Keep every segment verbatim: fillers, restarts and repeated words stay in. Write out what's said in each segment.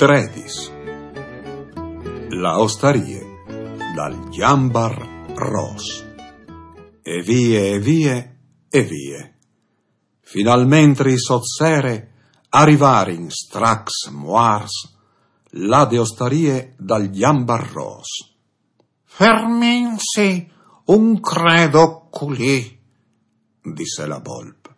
Predis. La ostarie dal Gjambar Ros. E vie, e vie, e vie. Finalmentri sot sere a rivarin stracs muars là de ostarie dal Gjambar Ros. «Ferminsi un credo culì», disse la bolp.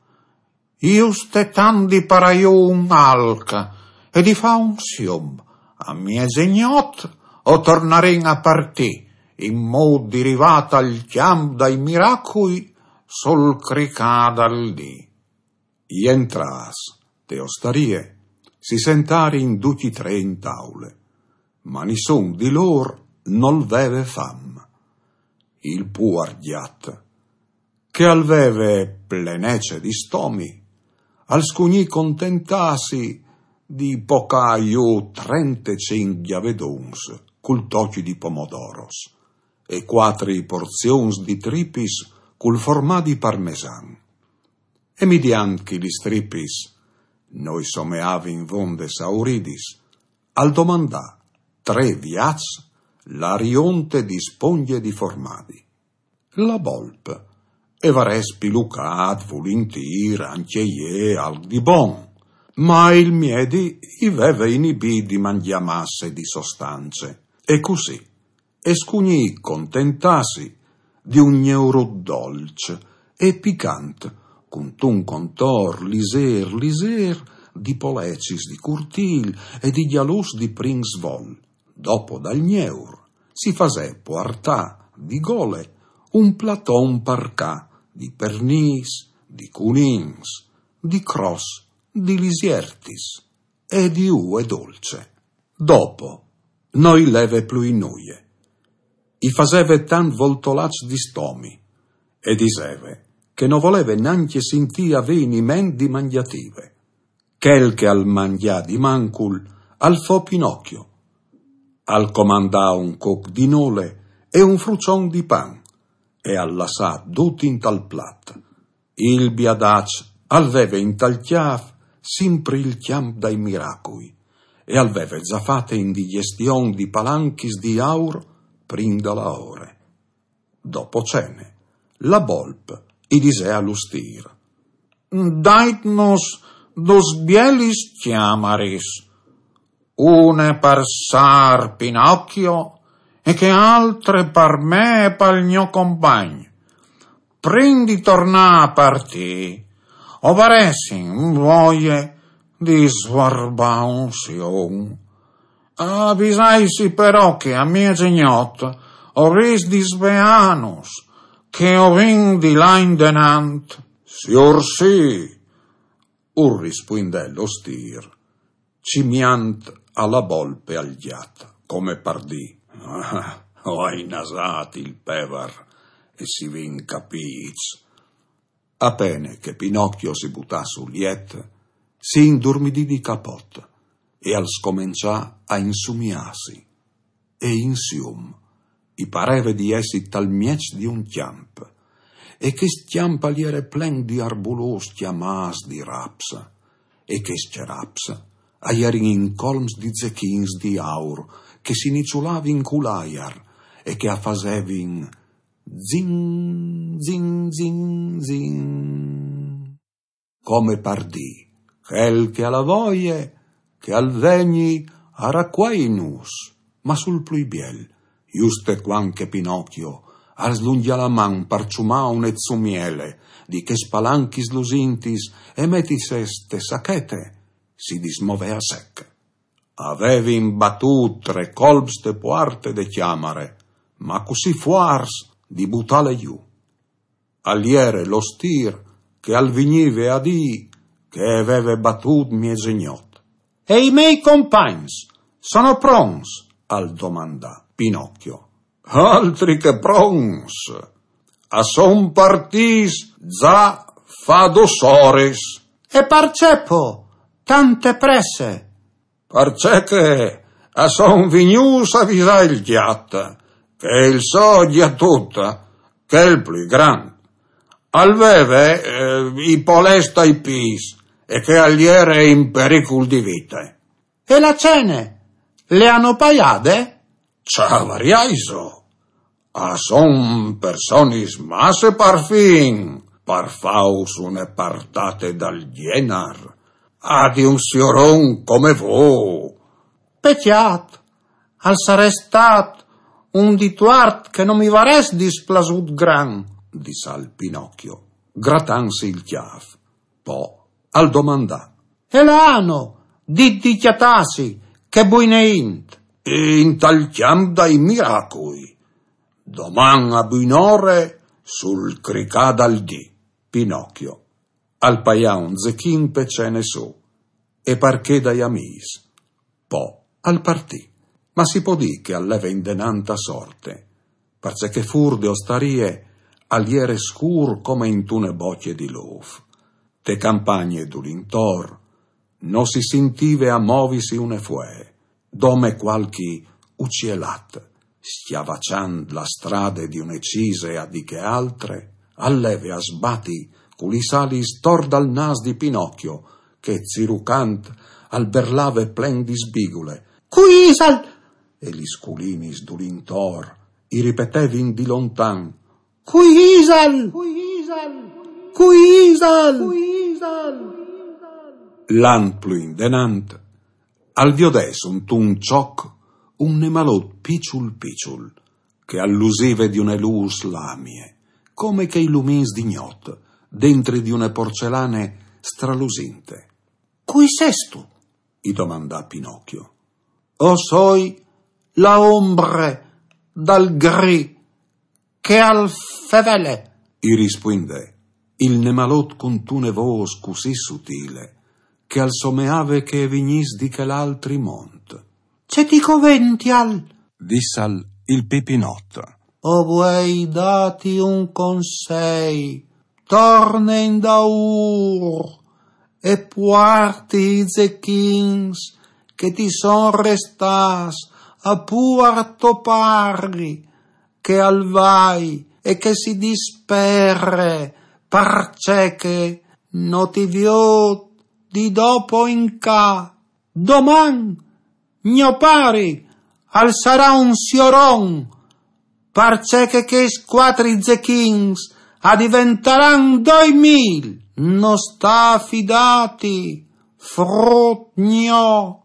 «Juste tant di paraiu un alc e di fa un sium. A miezegnot o tornarin a partì, in mût di rivâ tal cjamp dai miracui sul cricâ dal dì.» Jentrâts te ostarie, si sentarin ducj i trê in taule, ma nissun di lôr nol veve fam. Il puar gjat, che al veve plenece di stomi, al scugnì contentâsi di pocâ jù trentecinc gjavadons cul toc di pomodoros e cuatri porzions di tripis cul formadi parmesan. E midiant che lis tripis no i someavin vonde sauridis, al domandà trê viaçs la rionte di spongje di formadi. La bolp e varès pilucât vulintîr ancje jê alc di bon, ma il miedi i veve inibît di mangjâ masse di sostance. E cussì e scugnì contentâsi di un gneurut dolç e picant, cuntun contor lizêr lizêr di polecis di curtîl e di gjaluts di prin svol. Dopo dal gneur si fasè puartâ di gole un platon par ca di pernîs, di cunins, di cros, di lisiertis e di ue dolce. Dopo no i leve plui nuie. I faseve tant voltolaçs di stomi e diseve che no voleve nancje sintî aveniment di mangjative. Chel che al mangjà di mancul al fo Pinocchio. Al comandà un coc di nole e un fruçon di pan e al lassà dut intal plat. Il biadaç al veve intal cjâf simpri il cjamp dai miracui e al veve za fate indigjastion di palanchis di aur prin da la ore. Dopo cene, la bolp i disè al ostîr: «Daitnus dus bielis cjamaris, une par sâr Pinocchio e chê altre par me e pal gno compagn. Prin di tornâ a partî, o varessin voie di svuarbâ un sium. Avisaitsi però che a miezegnot o vês di sveânus, che o vin di lâ indenant.» «Siursì», ur rispuindè l'ostîr, cimiant a la bolp e al gjat, come par dî: «Ah, o ai nasât il pevar e si vin capîts.» A pene che Pinocchio si butà sul jet, si indurmidì di capot e al scomençà a insumiâsi. E in sium i pareve di jessi tal mieç di un cjamp, e chest cjamp al jere plen di arbulôs cjamâts di raps, e chescj raps a jerin incolms di zechins di aur che si niçulavin cul aiar e che a fasevin zin, zin, zin, zin, come par dî: «Chel che al à voie, che al vegni a racuainus.» Ma sul plui biel, juste cuant che Pinocchio al slungjà la man par çumâ une zumiele di chês palanchis lusintis e metîsês te sachete, si dismovè a sec. A vevin batût trê colps te puarte de cjamare, ma cussì fuarts di butâle jù. Al jere l'ostîr che al vignive a dî che e veve batût miezegnot. «E i miei compagns, sono pronts?» al domandà Pinocchio. «Altri che pronts! A son partîts za fa dôs oris.» «E parcè po tante presse?» «Parcè che a son vignûts a visâ il gjat, che il so gjatut, chel plui grant, al veve, eh, i polets tai pîts e che al jere in pericul di vite.» «E la cene? Le anu paiade? Ce variaiso? A son personis masse par fin, par fâus une partate dal gjenar, a di un sioron come vô. Pecjât, al sarès stât un dituart che no mi varès displasût gran, dissal Pinocchio, gratantsi il cjâf. Po al domandà: E la anu dit di cjatâsi chê buine int? Intal cjamp dai miracui. Doman a buinore sul cricâ dal dì. Pinocchio al paià un zechin pe cene sô e par chê dai amîs. Po al partì. Ma si pò dî che al leve indenant a sorte, parcè che fûr de ostarie al jere scûr come intune bocje di lôf. Te campagne dulintor no si sintive a movisi une fuee, dome cualchi ucielat, scjavaçant la strade di une cise a di chê altre, al leve a sbati cu lis alis tor dal nâs di Pinocchio, che, zirucant, al berlave plen di sbigule: Cui isal? E lis culinis dulintor i ripetevin di lontan: Cui isal? Cui isal? Lant plui indenant, al viodè suntun çoc un nemalot piçul piçul, che al lusive di une lûs lamie, come chei lumins di gnot, dentri di une porcelane stralusinte. Cui sêstu? I domandà Pinocchio. O soi la ombre dal gri che al fevele, i rispuindè il nemalot cuntune vôs cussì sutile, che al someave che e vignìs di chel altri mont. Ce ti covential? Dissal il Pipinot. O vuei dâti un consei: torne indaûr e puarti i zechins che ti son restâts a puar to pari, che al vai e che si dispere, parcè che no ti viôt di dopo in ca. Doman gno pari al sarà un sioron, parcè che chescj cuatri zechins a diventaran doi mil. No sta a fidâti, frut gno,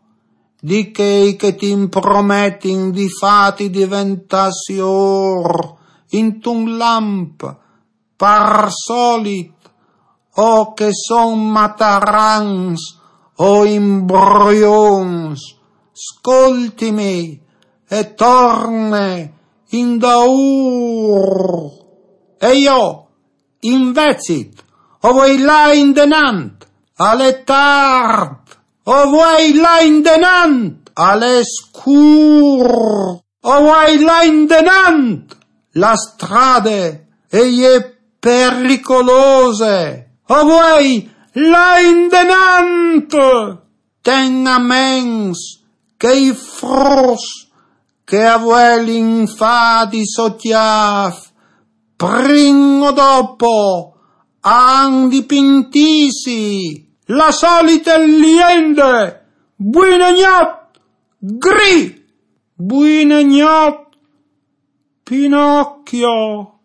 di chei che ti imprometin di fâti diventâ siôr intun lamp, par solit, o che son matarans o imbrions. Scoltimi e torne indaûr. E jo, invezit, o vuei lâ indenant, al è tart, o vuei lâ indenant, al è scûr. O vuei lâ indenant, la strade e je pericolose. O vuei lâ indenant, ten a ments che i fruts che a vuelin fâ di so cjâf, prin o dopo, a àn di pintîsi. La solite liende: Buine gnot, Gri! Buine gnot, Pinocchio,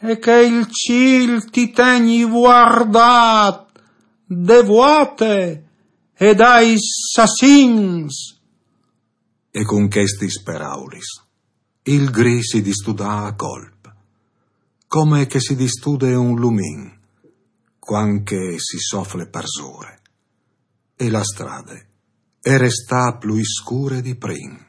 e che il cîl ti tegni vuardât de vuate e dai sassins. E cun chestis peraulis il Gri si distudà a colp, come che si distude un lumin cuant che si sofle parsore, e la strade e restà plui scure di prin.